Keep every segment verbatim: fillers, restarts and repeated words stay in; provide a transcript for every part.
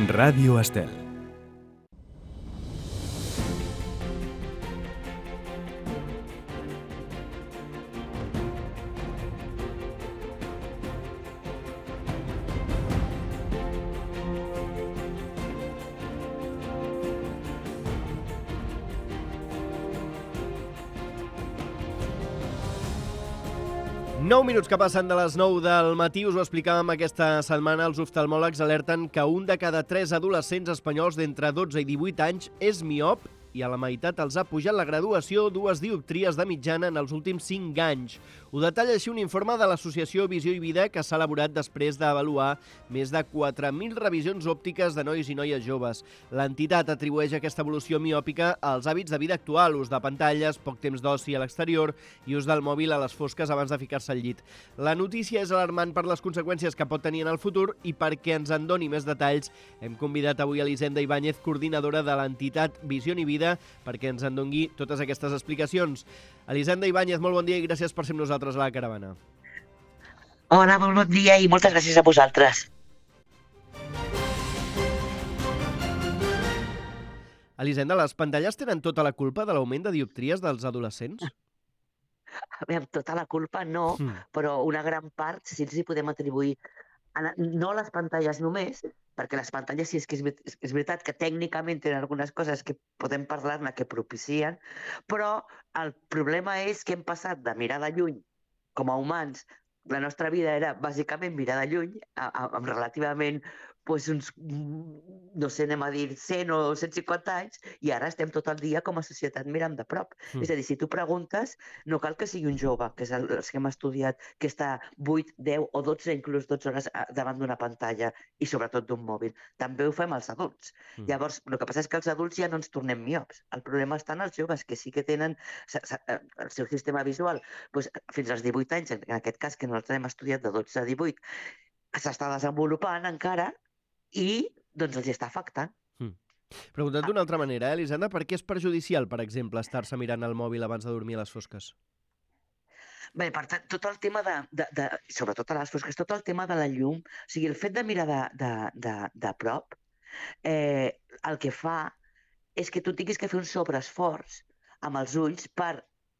Ràdio Estel. nou minuts que passen de les nou del matí, us ho explicàvem aquesta setmana, els oftalmòlegs alerten que un de cada tres adolescents espanyols d'entre dotze i divuit anys és miop i a la meitat els ha pujat la graduació dues dioptries de mitjana en els últims cinc anys. Ho detalla així un informe de l'associació Visió i Vida que s'ha elaborat després d'avaluar més de quatre mil revisions òptiques de nois i noies joves. L'entitat atribueix aquesta evolució miòpica als hàbits de vida actual, ús de pantalles, poc temps d'oci a l'exterior i ús del mòbil a les fosques abans de ficar-se al llit. La notícia és alarmant per les conseqüències que pot tenir en el futur i perquè ens en doni més detalls hem convidat avui a Elisenda Ibáñez, coordinadora de l'entitat Visió i Vida, perquè ens en doni totes aquestes explicacions. Elisenda Ibáñez, molt bon dia i gràcies per ser amb nosaltres a la caravana. Hola, molt bon dia i moltes gràcies a vosaltres. Elisenda, les pantalles tenen tota la culpa de l'augment de dioptries dels adolescents? A veure, tota la culpa no, mm. però una gran part sí els hi podem atribuir, a, no a les pantalles només, perquè les pantalles sí és que és, és veritat que tècnicament tenen algunes coses que podem parlar-ne que propicien, però el problema és que hem passat de mirar de lluny com a humans. La nostra vida era bàsicament mirar de lluny, amb relativament pues, uns, no sé, anem a dir cent o cent cinquanta anys, i ara estem tot el dia com a societat mirant de prop. Mm. És a dir, si tu preguntes, no cal que sigui un jove, que és el, els que hem estudiat, que està vuit, deu o dotze, inclús dotze hores davant d'una pantalla i sobretot d'un mòbil. També ho fem els adults. Mm. Llavors, el que passa és que els adults ja no ens tornem miops. El problema està en els joves, que sí que tenen el seu sistema visual pues, fins als divuit anys, en aquest cas que nosaltres hem estudiat de dotze a divuit, s'està desenvolupant encara i doncs els està afectant. Mm. Preguntat d'una altra manera, eh, Elisenda, per què és perjudicial, per exemple, estar-se mirant el mòbil abans de dormir a les fosques? Bé, per tant, tot el tema de, de, de, sobretot a les fosques, tot el tema de la llum, o sigui, el fet de mirar de, de, de, de prop, eh, el que fa és que tu tinguis que fer un sobreesforç amb els ulls per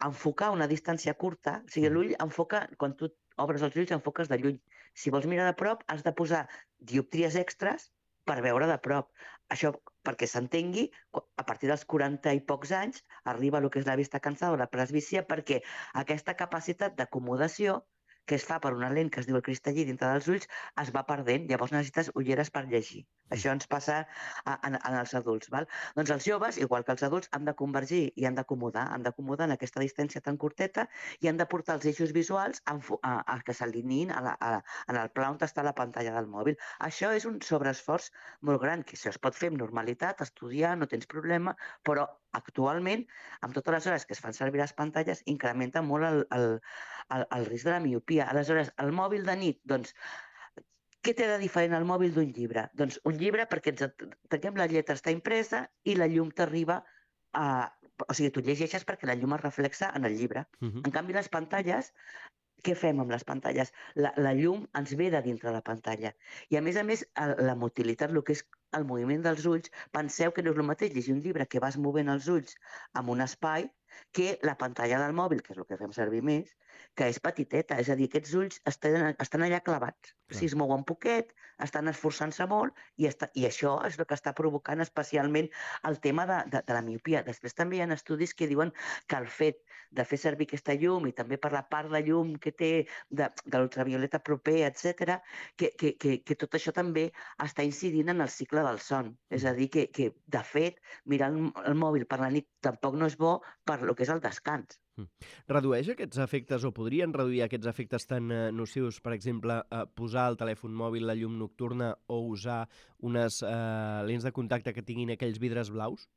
enfocar una distància curta, o sigui, l'ull enfoca, quan tu obres els ulls, enfoques de lluny. Si vols mirar de prop, has de posar dioptries extres per veure de prop. Això, perquè s'entengui, a partir dels quaranta i pocs anys arriba el que és la vista cansada o la presbícia, perquè aquesta capacitat d'acomodació que es fa per una lent que es diu el cristallí dintre dels ulls es va perdent, llavors necessites ulleres per llegir. Això ens passa a, a, en els adults. Val? Doncs els joves, igual que els adults, han de convergir i han d'acomodar, han d'acomodar en aquesta distància tan curteta i han de portar els eixos visuals a, a, a que s'alineïn en el pla on està la pantalla del mòbil. Això és un sobreesforç molt gran, que això es pot fer amb normalitat, estudiar, no tens problema, però actualment, amb totes les hores que es fan servir les pantalles, incrementa molt el, el, el, el risc de la miopia. Aleshores, el mòbil de nit, doncs, què té de diferent el mòbil d'un llibre? Doncs un llibre perquè ens tanquem la lletra, està impresa i la llum t'arriba a... O sigui, tu llegeixes perquè la llum es reflexa en el llibre. Uh-huh. En canvi, les pantalles, què fem amb les pantalles? La, la llum ens ve de dintre la pantalla. I a més a més, la motilitat, el que és el moviment dels ulls, penseu que no és el mateix llegir un llibre que vas movent els ulls en un espai que la pantalla del mòbil, que és el que fem servir més, que és petiteta, és a dir, aquests ulls estan, estan allà clavats. Clar. Si es mouen poquet, estan esforçant-se molt i, està, i això és el que està provocant especialment el tema de, de, de la miopia. Després també hi ha estudis que diuen que el fet de fer servir aquesta llum i també per la part de llum que té de, de l'ultravioleta proper, etcètera, que, que, que, que tot això també està incidint en el cicle del son. És a dir, que, que de fet, mirar el, el mòbil per la nit tampoc no és bo per lo que és el descans. Redueix aquests efectes o podrien reduir aquests efectes tan eh, nocius, per exemple, eh, posar al telèfon mòbil la llum nocturna o usar unes eh, lents de contacte que tinguin aquells vidres blaus?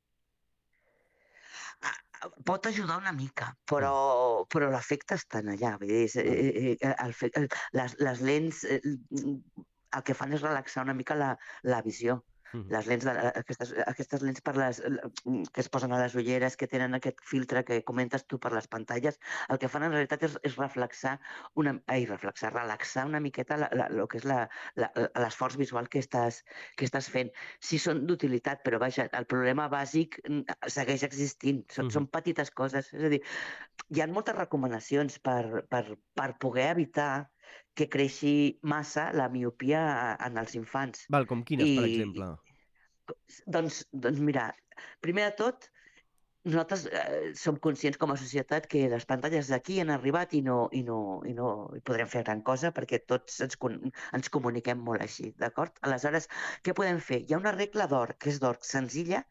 Pot ajudar una mica, però, però l'efecte està allà. Vull dir, eh, eh, el, el, les, les lents eh, el que fan és relaxar una mica la, la visió. Mhm. Les lents de, aquestes, aquestes lents per les, que es posen a les ulleres, que tenen aquest filtre que comentes tu per les pantalles, el que fan en realitat és, és reflexar, una, ai, reflexar, relaxar una miqueta la, la, lo que és la, la, l'esforç visual que estàs, que estàs fent. Sí són d'utilitat, però vaja, el problema bàsic segueix existint. Són, Mhm. són petites coses. És a dir, hi ha moltes recomanacions per, per, per poder evitar que creixi massa la miopia en els infants. Val, com quines, per I, exemple? doncs, doncs mira, primer de tot, nosaltres eh, som conscients com a societat que les pantalles d'aquí han arribat i no, i no, i no hi podrem fer gran cosa perquè tots ens, ens comuniquem molt així, d'acord? Aleshores, què podem fer? Hi ha una regla d'or, que és d'or senzilla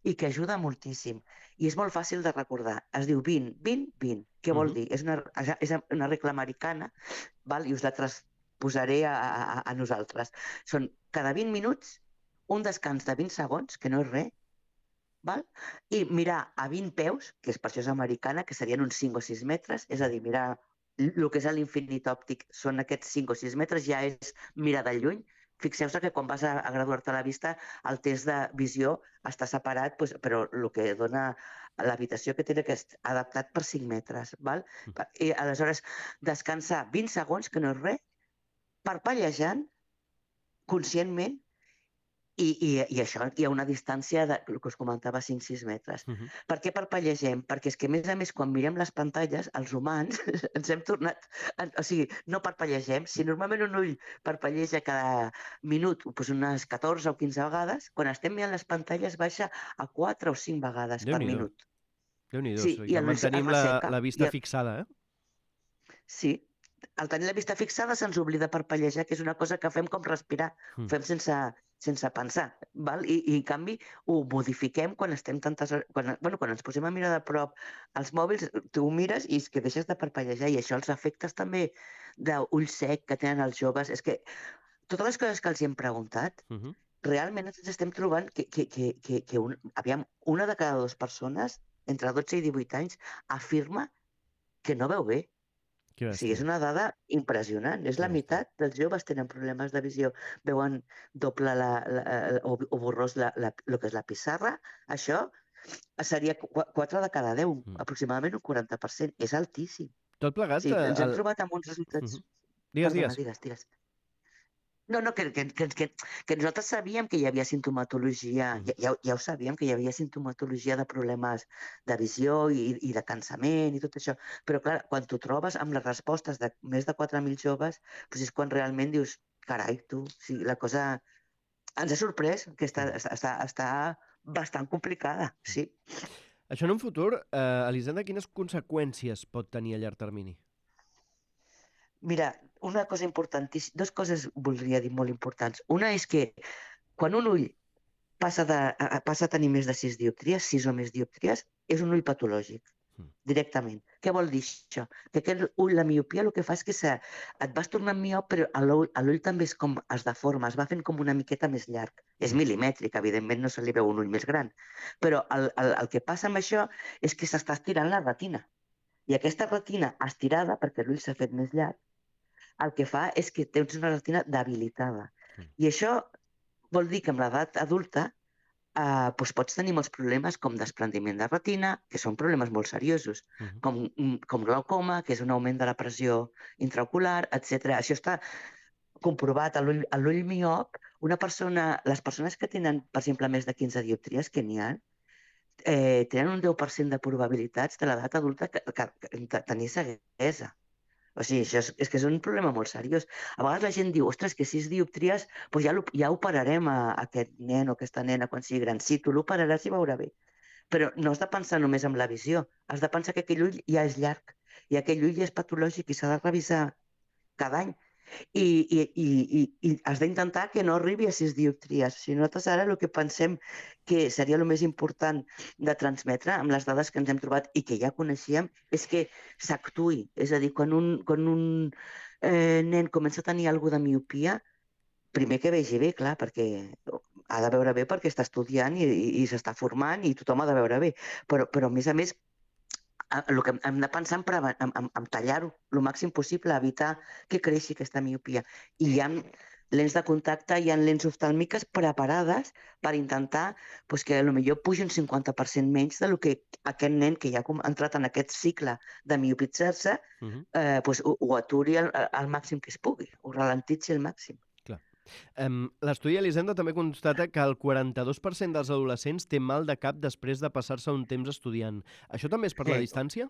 i que ajuda moltíssim. I és molt fàcil de recordar. Es diu vint, vint, vint. Què vol Mhm. dir? És una, és una regla americana, val? I us la transposaré a, a, a nosaltres. Són cada vint minuts un descans de vint segons, que no és res, val? I mirar a vint peus, que és per això és americana, que serien uns cinc o sis metres, és a dir, mirar el que és l'infinit òptic són aquests cinc o sis metres, ja és mirar de lluny. Fixeu-vos que quan vas a, a graduar-te a la vista, el test de visió està separat, doncs, però el que dona l'habitació que té que és adaptat per cinc metres. Val? I aleshores, descansar vint segons, que no és res, parpellejant conscientment. I, i, I això, hi ha una distància, de, el que us comentava, cinc o sis metres. Mhm. Per què parpellegem? Perquè és que, a més a més, quan mirem les pantalles, els humans ens hem tornat... O sigui, no parpellegem. Si normalment un ull parpelleja cada minut doncs unes catorze o quinze vegades, quan estem mirant les pantalles baixa a quatre o cinc vegades per Déu-n'hi-do. minut. Déu-n'hi-do, o Sí, sigui i que l'ull es mantenim la, resseca. la vista I el... fixada, eh? Sí, al tenir la vista fixada se'ns oblida parpellejar, que és una cosa que fem com respirar, ho Mm. fem sense, sense pensar, val? I, i en canvi ho modifiquem quan estem tantes hores, quan, bueno, quan ens posem a mirar de prop els mòbils, tu ho mires i és que deixes de parpellejar, i això els efectes també d'ull sec que tenen els joves, és que totes les coses que els hi hem preguntat, Mhm. realment ens estem trobant que, que, que, que, que un, aviam, una de cada dues persones entre dotze i divuit anys afirma que no veu bé. Que O sigui, és bèstia. una dada impressionant. És Que la bèstia. meitat dels joves tenen problemes de visió. Veuen doble la, la, o, o borrós la, la, el que és la pissarra. Això seria quatre de cada deu, Mm. aproximadament un quaranta per cent. És altíssim. Tot plegat... Sí, eh, ens hem el... trobat amb uns resultats... Mhm. Digues, Perdona, digues. digues, digues. No, no, que, que, que, que, que nosaltres sabíem que hi havia sintomatologia, Mhm. ja, ja, ja ho sabíem, que hi havia sintomatologia de problemes de visió i, i de cansament i tot això, però clar, quan t'ho trobes amb les respostes de més de quatre mil joves, doncs és quan realment dius, carai, tu, sí, la cosa ens ha sorprès, que està, Mhm. està, està, està bastant complicada, sí. Això en un futur, eh, Elisenda, quines conseqüències pot tenir a llarg termini? Mira, una cosa importantíssima, dues coses voldria dir molt importants. Una és que quan un ull passa, de, a, passa a tenir més de sis dioptries, sis o més dioptries, és un ull patològic, Mm. directament. Què vol dir això? Que aquest ull, la miopia, el que fa és que se, et vas tornant miop, però l'ull també és com es deforma, es va fent com una miqueta més llarg. És Mm. milimètric, evidentment no se li veu un ull més gran. Però el, el, el que passa amb això és que s'està estirant la retina. I aquesta retina estirada, perquè l'ull s'ha fet més llarg, el que fa és que tens una retina debilitada. Mm. I això vol dir que amb l'edat adulta eh, doncs pots tenir molts problemes com desprendiment de retina, que són problemes molt seriosos, Mhm. com, com glaucoma, que és un augment de la pressió intraocular, etcètera. Això està comprovat a l'ull a l'ull miop. Una persona, les persones que tenen, per exemple, més de quinze dioptries, que n'hi ha, eh, tenen un deu per cent de probabilitats de l'edat adulta que, que, que, de tenir ceguesa. O sigui, això és, és que és un problema molt seriós. A vegades la gent diu, ostres, que sis dioptries, doncs ja, ja operarem a, a aquest nen o aquesta nena quan sigui gran. Sí, tu l'operaràs i veurà bé. Però no has de pensar només en la visió. Has de pensar que aquell ull ja és llarg i aquell ull ja és patològic i s'ha de revisar cada any. I, i, i, i, i has d'intentar que no arribi a sis dioptries. Si nosaltres ara el que pensem que seria el més important de transmetre amb les dades que ens hem trobat i que ja coneixíem és que s'actuï. És a dir, quan un, quan un eh, nen comença a tenir alguna de miopia, primer que vegi bé, clar, perquè ha de veure bé perquè està estudiant i, i, i s'està formant i tothom ha de veure bé. Però, però a més a més, el que hem de pensar en, en, en, en tallar-ho el màxim possible, evitar que creixi aquesta miopia. I hi ha lents de contacte, hi ha lents oftàlmiques preparades per intentar pues, que potser pugi un cinquanta per cent menys del que aquest nen que ja ha entrat en aquest cicle de miopitzar-se uh -huh. eh, pues, ho, ho aturi al, al màxim que es pugui, ho ralentitzi al màxim. Um, L'estudi Elisenda també constata que el quaranta-dos per cent dels adolescents té mal de cap després de passar-se un temps estudiant. Això també és per sí. la distància?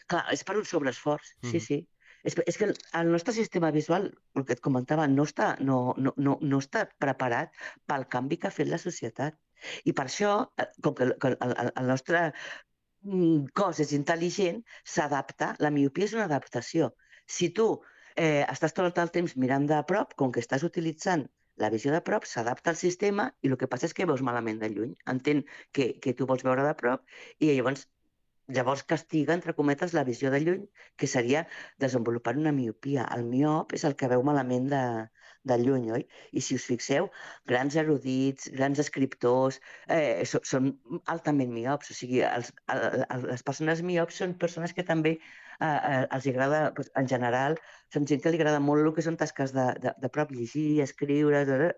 Clar, és per un sobreesforç, mm. sí, sí. És, és que el, el nostre sistema visual, el que et comentava, no està, no, no, no, no està preparat pel canvi que ha fet la societat. I per això, com que, que el, el nostre cos és intel·ligent, s'adapta. La miopia és una adaptació. Si tu eh, estàs tot el temps mirant de prop, com que estàs utilitzant la visió de prop, s'adapta al sistema i el que passa és que veus malament de lluny. Entén que, que tu vols veure de prop i llavors Llavors castiga, entre cometes, la visió de lluny, que seria desenvolupar una miopia. El miop és el que veu malament de, de lluny, oi? I si us fixeu, grans erudits, grans escriptors, eh, so, són altament miops. O sigui, els, el, les persones miops són persones que també eh, els agrada, doncs, en general, són gent que li agrada molt el que són tasques de, de, de prop, llegir, escriure...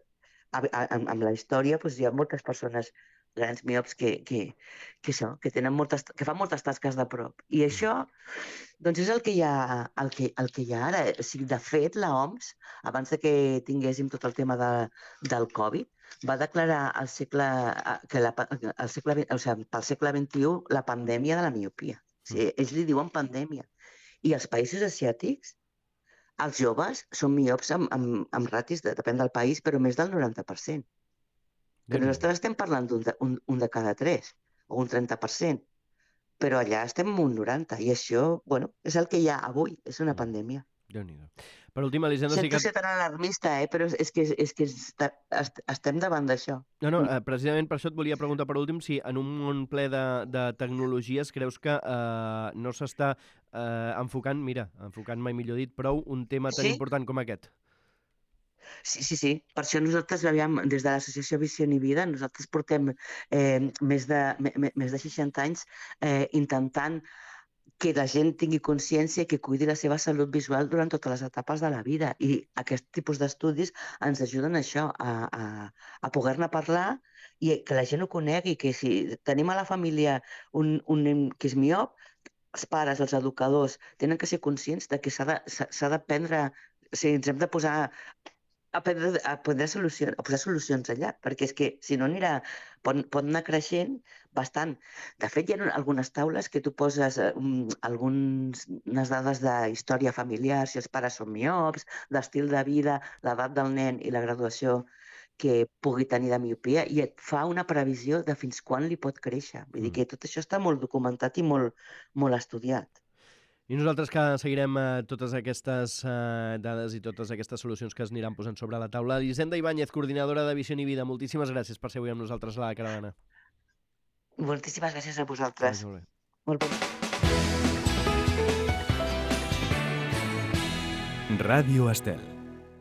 Amb la història doncs, hi ha moltes persones grans miops que, que, que, això, que, tenen moltes, que fan moltes tasques de prop. I això doncs és el que hi ha, el que, el que hi ha ara. O sigui, de fet, l'O M S, abans de que tinguéssim tot el tema de, del Covid, va declarar al segle, que la, el segle, o sigui, pel segle vint-i-u la pandèmia de la miopia. O sigui, ells li diuen pandèmia. I els països asiàtics, els joves són miops amb, amb, amb ratis, de, depèn del país, però més del noranta per cent. Que nosaltres estem parlant d'un de, un, un de cada tres, o un trenta per cent, però allà estem en un noranta, i això, bueno, és el que hi ha avui, és una pandèmia. Déu-n'hi-do. Per últim, Elisenda... Sento ser tan alarmista, eh? Però és que, és que estem davant d'això. No, no, precisament per això et volia preguntar per últim si en un món ple de, de tecnologies creus que eh, no s'està eh, enfocant, mira, enfocant mai millor dit, prou un tema tan sí? important com aquest. Sí, sí, sí. Per això nosaltres, aviam, des de l'associació Visió i Vida, nosaltres portem eh, més, de, me, més de seixanta anys eh, intentant que la gent tingui consciència i que cuidi la seva salut visual durant totes les etapes de la vida. I aquest tipus d'estudis ens ajuden a això, a, a, a poder-ne parlar i que la gent ho conegui, que si tenim a la família un, un nen que és miop, els pares, els educadors, tenen que ser conscients de que s'ha de, s'ha de prendre, o sigui, ens hem de posar a prendre, a prendre solucions, a posar solucions allà, perquè és que si no anirà, pot, pot anar creixent bastant. De fet, hi ha algunes taules que tu poses um, algunes dades de història familiar, si els pares són miops, d'estil de vida, l'edat del nen i la graduació que pugui tenir de miopia, i et fa una previsió de fins quan li pot créixer. Vull dir que tot això està molt documentat i molt, molt estudiat. I nosaltres que seguirem eh, totes aquestes eh, dades i totes aquestes solucions que es aniran posant sobre la taula. Elisenda Ibáñez, coordinadora de Visió i Vida, moltíssimes gràcies per ser avui amb nosaltres a la caravana. Moltíssimes gràcies a vosaltres. Molt bé. Molt bé. Ràdio Estel.